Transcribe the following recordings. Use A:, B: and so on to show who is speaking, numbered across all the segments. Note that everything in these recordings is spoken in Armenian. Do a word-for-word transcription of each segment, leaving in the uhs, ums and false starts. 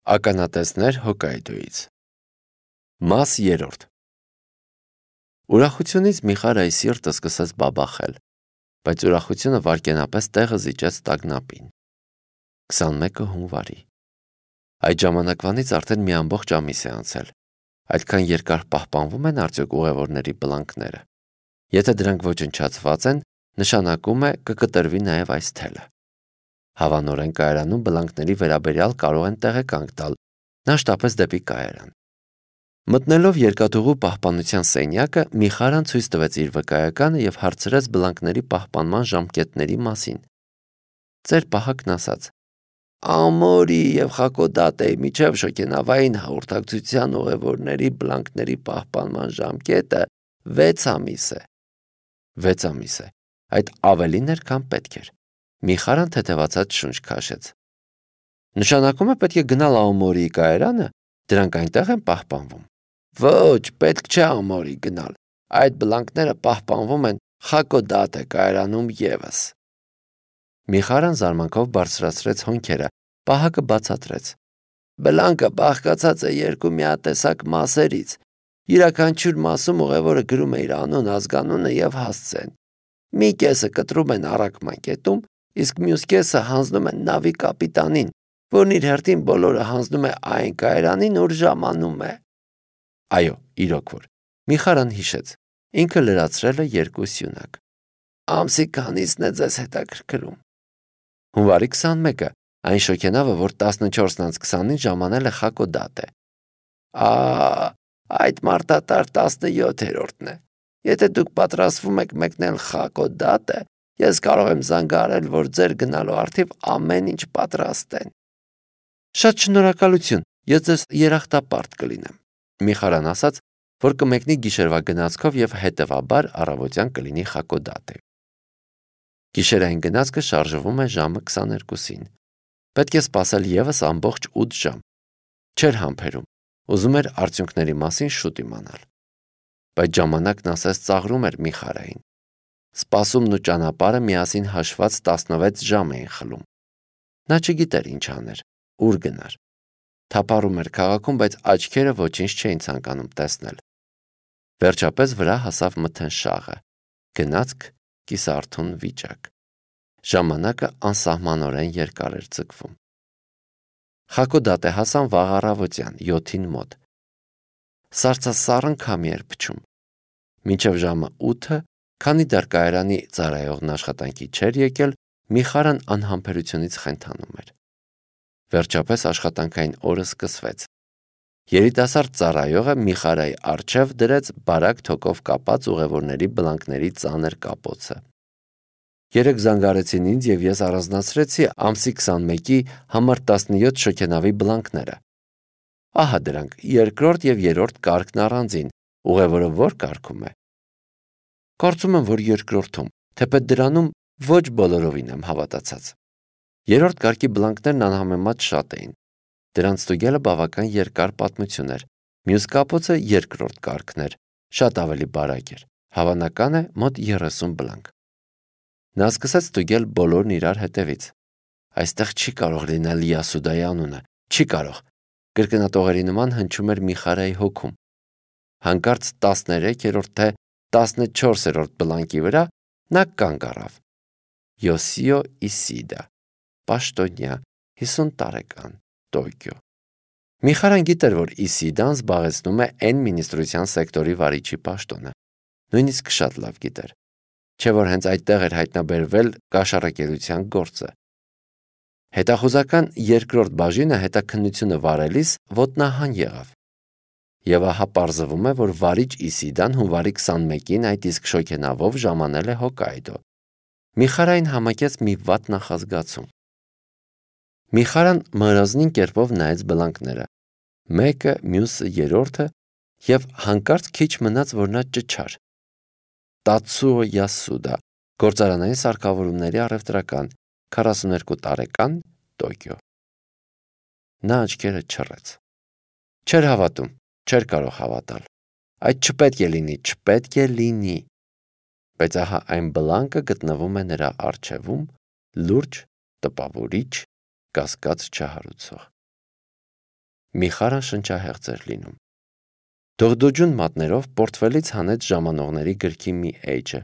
A: Ականատեսներ Հոկայդոյից Մաս երրորդ Ուրախությունից Միխարայի սիրտը սկսեց բաբախել, բայց ուրախությունը վայրկենապես տեղը զիջեց տագնապին։ քսանմեկը հունվարի Այդ ժամանակվանից արդեն մի ամբողջ ամիս է անցել։ Այդքան երկար պահպանվում են արդյոք ուղևորների բլանկները։ Եթե դրանք ոչնչացված են, նշանակում է կկտրվի նաև այս թելը։ Հավանորեն կայարանում բլանկների վերաբերյալ կարող են տեղեկանք տալ, նա շտապեց դեպի կայարան։ Մտնելով երկաթուղու պահպանության սենյակը, Միխարան ցույց տվեց իր վկայականը եւ հարցրեց բլանկների պահպանման ժամկետների մասին։ Ձեր պահակն ասաց. Ամորի եւ Խակոդատեի միջև շոգենավային հաղորդակցության ուղևորների բլանկների պահպանման ժամկետը վեց ամիս է։ վեց ամիս է։ Այդ ավելին էր, քան պետք էր։ Միխարան թեթևացած շունչ քաշեց։ Նշանակում է պետք է գնալ Աոմորիի կայարանը, դրանք այնտեղ են պահպանվում։ Ոչ, պետք չէ Աոմորի գնալ։ Այդ բլանկները պահպանվում են Խակոդատե կայարանում եւս։ Միխարան զարմանքով բարձրացրեց հոնքերը, պահակը բացատրեց։ Բլանկը բաղկացած է երկու միատեսակ մասերից։ Յուրաքանչյուր մասում ուղևորը գրում է իր անուն, ազգանունը եւ հասցեն։ Մի կեսը կտրում են առաքման կետում, իսկ մյուս կեսը հանձնում են նավի կապիտանին, որն իր հերթին բոլորը հանձնում է այն կայարանին, ուր ժամանում է։ Այո, իրոք որ։ Միխարան հիշեց։ Ինքը լրացրել է երկու սյունակ։ Ամսի քանիսն է ձեզ հետաքրքրում։ Հունվարի քսանմեկը, այն շոգենավը, որ տասնչորսն անց քսանին ժամանել է Խակոդատե։ Ա, այդ մարտատար տասնյոթերորդն է։ Եթե դուք պատրաստվում եք մեկնել Խակոդատե, ես կարող եմ զանգահարել, որ ձեր գնալու առթիվ ամեն ինչ պատրաստ են։ Շատ շնորհակալություն, ես ձեզ երախտապարտ կլինեմ։ Միխարան ասաց, որ կմեկնի գիշերվա գնացքով եւ հետեւաբար առավոտյան կլինի Խակոդատե։ Գիշերային գնացքը շարժվում է ժամը քսաներկուսին։ Պետք է սպասել եւս ամբողջ ութ ժամ։ Չէր համբերում։ Ուզում էր արդյունքների մասին շուտ իմանալ։ Բայց ժամանակն ասես ծաղրում էր Միխարային։ Սպասումն ու ճանապարհը միասին հաշված տասնվեց ժամ էին խլում։ Նա չգիտեր ինչ աներ, ուր գնար։ Թափառում էր քաղաքում, բայց աչքերը ոչինչ չէին ցանկանում տեսնել։ Վերջապես վրա հասավ մթնշաղը։ Գնացք կիսարթուն վիճակ։ Ժամանակը անսահմանորեն երկար էր ձգվում։ Խակոդատե հասան վաղ առավոտյան յոթին մոտ։ Սառցասառն քամի էր փչում։ Մինչև ժամը ութը, քանի դեռ կայարանի ծառայողն աշխատանքի չէր եկել, Միխարան անհամբերությունից խենթանում էր։ Վերջապես աշխատանքային օրը սկսվեց։ Երիտասարդ ծառայողը Միխարայի առջև դրեց բարակ թոկով կապած ուղևորների բլանկների ծանր կապոցը։ Երեք զանգարեցին ինձ եւ ես առանձնացրեցի ամսի քսանմեկի համար տասնյոթ շոգենավի բլանկները։ Ահա դրանք, երկրորդ եւ երրորդ կարգն առանձին, ուղևորը ո՞ր կարգում է։ Կարծում եմ, որ երկրորդում, թեպետ դրանում ոչ բոլորովին եմ հավատացած։ Երրորդ կարգի բլանկներն անհամեմատ շատ էին։ Դրանց ստուգելը բավական երկար պատմություն էր։ Մյուս կապոցը երկրորդ կարգն էր, շատ ավելի բարակ էր։ Հավանական է մոտ երեսուն բլանկ։ Նա սկսեց ստուգել բոլորն իրար հետևից։ Այստեղ չի կարող լինել Յասուդայի անունը, չի կարող։ Կրկնատողերի նման հնչում էր Միխարայի հոգում։ Հանկարծ տասներեքերորդ թե տասնչորսերորդ բլանկի վրա նա կանգ առավ։ Յոսիո Իսիդա, պաշտոնյա, հիսուն տարեկան, Տոկիո։ Միխարան գիտեր, որ Իսիդան զբաղեցնում է N մինիստրության սեկտորի վարիչի պաշտոնը։ Նույնիսկ շատ լավ գիտեր։ Չէ որ հենց այդտեղ էր հայտնաբերվել կաշառակերության գործը։ Հետախուզական երկրորդ բաժինը հետաքննությունը վարելիս ոտնահան եղավ։ Եվ ահա պարզվում է, որ վարիչ Իսիդան հունվարի քսանմեկին այդ իսկ շոգենավով ժամանել է Հոկայդո։ Միխարային համակեց մի վատ նախազգացում։ Միխարան մռազնին կերպով նայեց բլանկները։ Մեկը, մյուսը, երրորդը եւ հանկարծ քիչ մնաց, որ նա ճչար։ Տացուո Յասուդա, գործարանային սարքավորումների առևտրական, քառասուներկու տարեկան, Տոկիո։ Նա աչքերը չռեց։ Չէր հավատում, չէր կարող հավատալ։ Այդ չպետք է լինի, չպետք է լինի։ Բայց ահա այն բլանկը գտնվում է նրա առջևում, լուրջ, տպավորիչ, կասկած չհարուցող։ Միխարան շնչահեղձ էր լինում։ Դողդոջուն մատներով պորտֆելից հանեց ժամանողների գրքի մի էջը,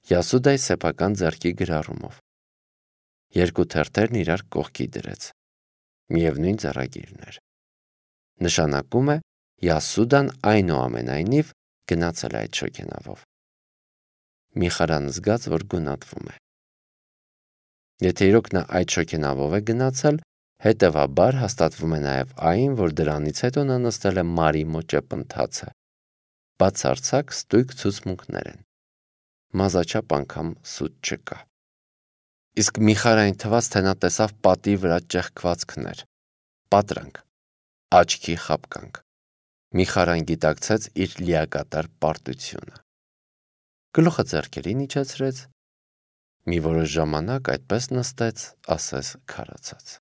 A: Յասուդայի սեփական ձեռքի գրառումով։ Երկու թերթերն իրար կողքի դրեց։ Միևնույն ձեռագիրն էր։ Նշանակում է Յասուդան այնուամենայնիվ գնացել է այդ շոգենավով։ Միխարան զգաց, որ գունատվում է։ Եթե իրոք նա այդ շոգենավով է գնացել, հետևաբար հաստատվում է նաև այն, որ դրանից հետո նա նստել է Մարի մոտ ճեպընթացը։ Բացարձակ ստույգ ցուցմունքներ են։ Մազաչափ անգամ սուտ չկա։ Իսկ Միխարային թվաց, թե նա տեսավ պատի վրա ճեղքվածքներ, պատրանք, աչքի խապկանք։ Միխարան գիտակցեց իր լիակատար պարտությունը։ Գլուխը ձեռքերին իջեցրեց, մի որոշ ժամանակ այդպես նստեց, ասես քարացած։